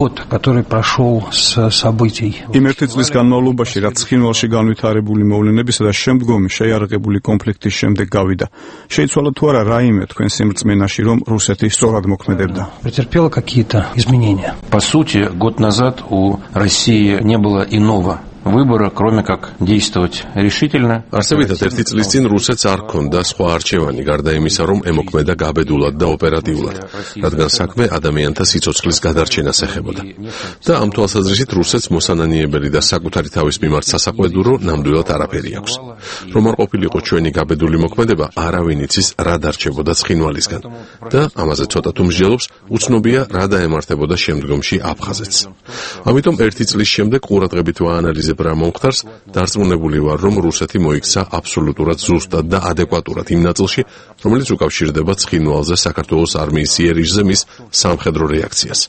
который прошел с событий. იმ ერთი წლის განმავლობაში, რაც ცხინვალში განვითარებული მოვლენებისა და შემდგომი შეიარაღებული კონფლიქტის შემდეგ გავიდა, შეიცვალა თუ არა რაიმე თქვენს სიმრწმენაში, რომ რუსეთი სწორად მოქმედებდა? Претерпела какие-то изменения. По сути, год назад у России не было иного выбора, кроме как действовать решительно. Არსებითად ერთი წლის წინ რუსეთს არ ჰქონდა სხვა არჩევანი, გარდა იმისა, რომ ემოქმედა გაბედულად და ოპერატიულად, რადგან საქმე ადამიანთა სიცოცხლის გადარჩენას ეხებოდა. და ამ თვალსაზრისით რუსეთს მოსანანიებელი და საკუთარი თავის მიმართ სასაყვედურო ნამდვილად არაფერი აქვს. რომ არ ყოფილიყო ჩვენი გაბედული მოქმედება, არავინ იცის რა დარჩებოდა ცხინვალისგან და ამაზე ცოტა თუ მსჯელობს, უცნობია რა დაემართებოდა შემდგომში აფხაზეთს. ამიტომ ერთი წლის შემდეგ ყურადღებით ვაანალიზებ რა მომხდარს, დარწმუნებული ვარ, რომ რუსეთი მოიქცა აბსოლუტურად ზუსტად და ადეკვატურად იმ ნაწილში, რომელიც უკავშირდება ცხინვალზე საქართველოს არმიის იერიშზე მის სამხედრო რეაქციას.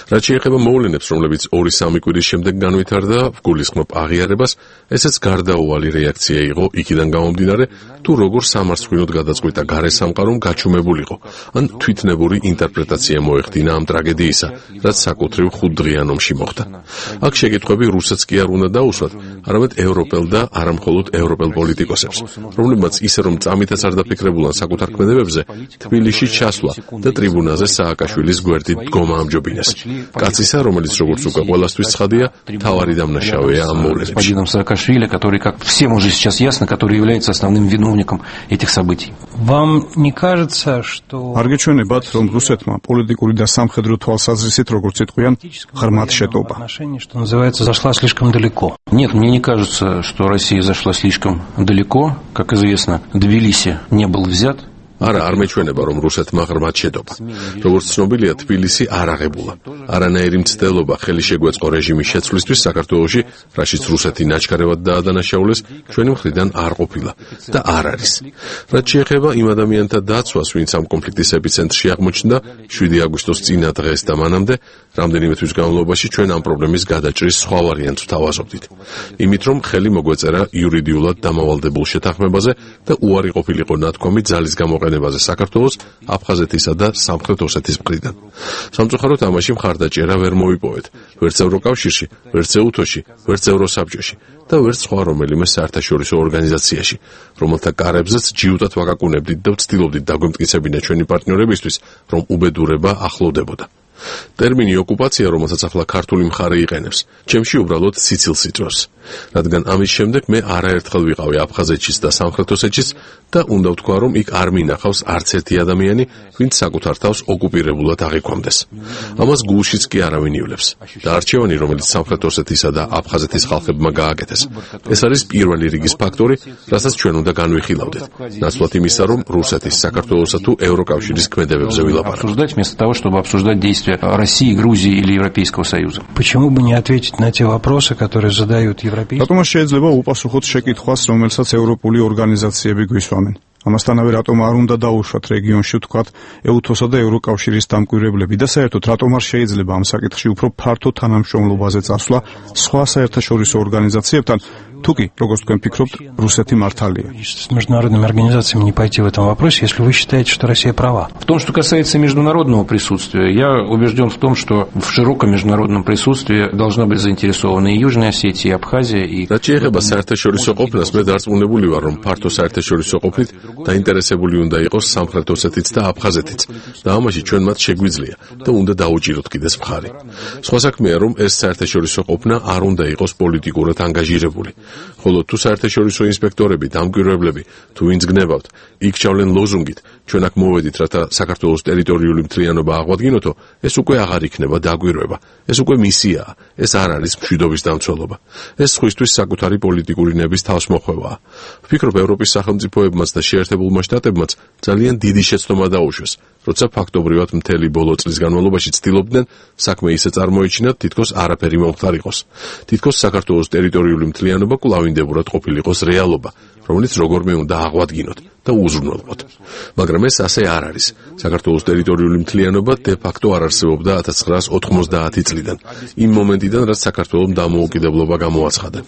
რაც შეეხება მოვლენებს, რომლებიც 2-3 კვირის შემდეგ განვითარდა, ვგულისხმობ აღიარებას, ესეც გარდაუვალი რეაქცია იყო იქიდან გამომდინარე, თუ როგორ სამარცხვინოდ გადაწყვიტა გარე სამყარომ გაჩუმებულიყო, ან თვითნებური ინტერპრეტაცია მოეხდინა ამ ტრაგედიისა, რაც საკუთრივ 5 დღიან ომში მოხდა. აქ შეკითხვები რუსეთს კი არ უნდა დაუსვათ, არამედ ევროპელ და არამხოლოდ ევროპელ პოლიტიკოსებს, რომლებმაც ისე რომ წამითაც არ დაფიქრებულან საკუთარ ქმედებებზე, თბილისში ჩასვლა და ტრიბუნაზე სააკაშვილის გვერდით დგომა ამჯობინეს. კაცისა, რომელიც როგორც უკვე ყველასთვის ცხადია, თავარი დამნაშავეა ამ მოვლენებში. Господином Саакашвили, который, как всем уже сейчас ясно, который является основным виновником этих событий. Вам не кажется, что არ გეჩვენებათ, რომ რუსეთმა პოლიტიკური და სამხედრო თვალსაზრისით, როგორც იტყვიან, ღრმად შეტობა? что называется, зашла слишком далеко? Нет, мне не кажется, что Россия зашла слишком далеко. Как известно, Тбилиси не был взят. არა, არ მეჩვენება, რომ რუსეთმა ღრმად შეტობა. როგორც ცნობილია, თბილისი არ აღებულა. არანაირი მცდელობა ხელი შეგვეწყო რეჟიმის შეცვლისთვის საქართველოში, რაშიც რუსეთი ნაჩქარევად დაადანაშაულეს, ჩვენი მხრიდან არ ყოფილა და არ არის. რაც შეეხება იმ ადამიანთა დაცვას, ვინც ამ კონფლიქტის ეპიცენტრში აღმოჩნდა 7 აგვისტოს წინა დღეს და მანამდე, რამდენიმე თვის განმავლობაში ჩვენ ამ პრობლემის გადაჭრის სხვა ვარიანტს ვთავაზობდით. იმით, რომ ხელი მოგვეწერა იურიდიულად დამავალდებულ შეთანხმებაზე და უარი ყოფილიყო ნათქვამი ძალის გამოყენებაზე საქართველოს, აფხაზეთისა და სამხრეთ ოსეთის მხრიდან. სამწუხაროდ ამაში მხარდაჭერა ვერ მოვიპოვეთ, ვერც ევროკავშირში, ვერც ეუთოში, ვერც ევროსაბჭოში და ვერც სხვა რომელიმე საერთაშორისო ორგანიზაციაში, რომელთა კარებზეც ჯიუტად ვაკაკუნებდით და ვცდილობდით დაგვემტკიცებინა ჩვენი პარტნიორებისთვის, რომ უბედურება ახლოვდებოდა. ტერმინი ოკუპაცია, რომელსაც ახლა ქართული მხარე იყენებს, ჩემში უბრალოდ სიცილს იწვევს, რადგან ამის შემდეგ მე არაერთხელ ვიყავი აფხაზეთშიც და სამხრეთ ოსეთშიც და უნდა ვთქვა, რომ იქ არ მინახავს არც ერთი ადამიანი, ვინც საკუთარ თავს ოკუპირებულად აღიქვამდეს. ამას გულშიც კი არავინ ივლებს და არჩევანი, რომელიც სამხრეთ ოსეთისა და აფხაზეთის ხალხებმა გააკეთეს, ეს არის პირველი რიგის ფაქტორი, რასაც ჩვენ უნდა განვიხილავდეთ, ნაცვლად იმისა, რომ რუსეთის, საქართველოსა თუ ევროკავშირის ქმედებებზე ვილაპარაკოთ. России, Грузии или Европейского Союза. Почему бы не ответить на те вопросы, которые задают европейские? Რატომ შეიძლება უპასუხოთ შეკითხვას, რომელსაც ევროპული ორგანიზაციები გვისვამენ? ამასთანავე რატომ არ უნდა დაუშვათ რეგიონში ვთქვათ ეუთოსა და ევროკავშირის დამკვირვებლები და საერთოდ რატომ არ შეიძლება ამ საკითხში უფრო ფართო თანამშრომლობაზე წასვლა სხვა საერთაშორისო ორგანიზაციებთან, თუკი, როგორც თქვენ ფიქრობთ, რუსეთი მართალია? С международными организациями не пойти в этом вопросе, если вы считаете, что Россия права. В том, что касается международного присутствия, я убежден в том, что в широком международном присутствии должна быть заинтересована и Южная Осетия, и Абхазия, и... რაც შეეხება საერთაშორისო ყოფნას, მე დარწმუნებული ვარ, რომ ფართო საერთაშორისო ყოფნით დაინტერესებული უნდა იყოს სამხრეთ ოსეთიც და აფხაზეთიც და ამაში ჩვენ მათ შეგვიძლია და უნდა დაუჭიროთ კიდეს მხარი. სხვა საქმეა, რომ ეს საერთაშორისო ყოფნა არ უნდა იყოს პოლიტიკურად ანგაჟირებული. ხოლო თუ საერთაშორისო ინსპექტორები, დამკვირვებლები, თუ ვინც გნებავთ, იქ ჩავლენ ლოზუნგით, ჩვენ აქ მოვედით, რათა საქართველოს ტერიტორიული მთლიანობა აღვადგინოთო, ეს უკვე აღარ იქნება დაგვირვება. ეს უკვე მისიაა, ეს არ არის მშვიდობის დამცველობა. ეს სხვისთვის საკუთარი პოლიტიკური ნების თავსმოხვევაა. ვფიქრობ, ევროპის სახელმწიფოებმაც და შეერთებულმა შტატებმაც ძალიან დიდი შეცდომა დაუშვეს, როცა ფაქტობრივად მთელი ბოლო წლის განმავლობაში ცდილობდნენ საქმე ისე წარმოეჩინათ, თითქოს არაფერი მომხდარ იყოს. თითქოს საქართველოს ტერიტორიული მთლიანობა კვლავინდებურად ყოფილიყოს რეალობა, რომელიც როგორმე უნდა აღვადგინოთ და უზრუნველყოთ. მაგრამ ეს ასე არ არის. საქართველოს ტერიტორიული მთლიანობა დე-ფაქტო არ არსებობდა 1990 წლიდან, იმ მომენტიდან, რაც საქართველოს დამოუკიდებლობა გამოაცხადა.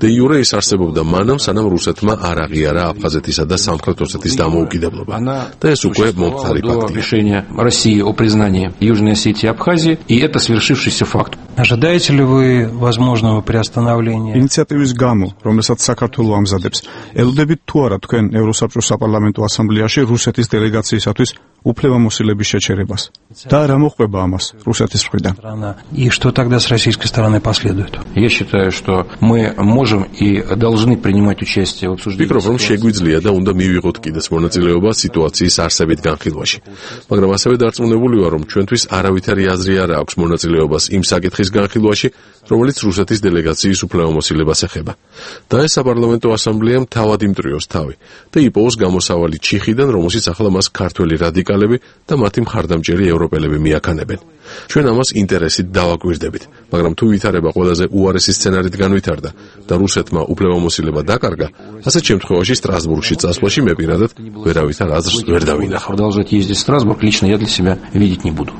დე-იურე ის არსებობდა მანამ, სანამ რუსეთმა არ აღიარა აფხაზეთისა და სამხრეთ ოსეთის დამოუკიდებლობა. და ეს უკვე მომხდარი ფაქტია. Решение России о признании Южной Осетии и Абхазии, и это свершившийся факт. Ожидаете ли вы возможного приостановления? ინიციატივის გამო, რომელსაც საქართველო ამზადებს, ელოდებით თუ არა თქვენ ევროსაბჭოს საპარლამენტო ასამბლეაში რუსეთის დელეგაციისათვის უფლებამოსილების შეჩერებას? და რა მოხდება ამას რუსეთის მხრიდან? И что тогда с российской стороны последует? Я считаю, что мы можем и должны принимать участие в обсуждении. ვფიქრობ, რომ შეგვიძლია და უნდა მივიღოთ კიდეც მონაწილეობა სიტუაციის არსებით განხილვაში. მაგრამ ასევე დარწმუნებული ვარ, რომ ჩვენთვის არავითარი აზრი არ აქვს მონაწილეობას იმ საკითხის განხილვაში, რომელიც რუსეთის დელეგაციის უფლებამოსილებას ეხება. და ეს საპარლამენტო ასამბლეამ თავად იმტრიოს თავი და იპოვოს გამოსავალი ჩიხიდან, რომელშიც ახლა მას ქართველი რადიკალები და მათი მხარდამჭერი ევროპელები მიაქანებენ. ჩვენ ამას ინტერესით დავაკვირდებით, მაგრამ თუ ვითარება ყველაზე უარესი სცენარით განვითარდა და რუსეთმა უფლებამოსილება დაკარგა, ასეთ შემთხვევაში სტრასბურგში წასვლაში მე პირადად ვერავითარ აზრს ვერ დავინახავ. Продолжать ездить в Страсбург лично я для себя видеть не буду.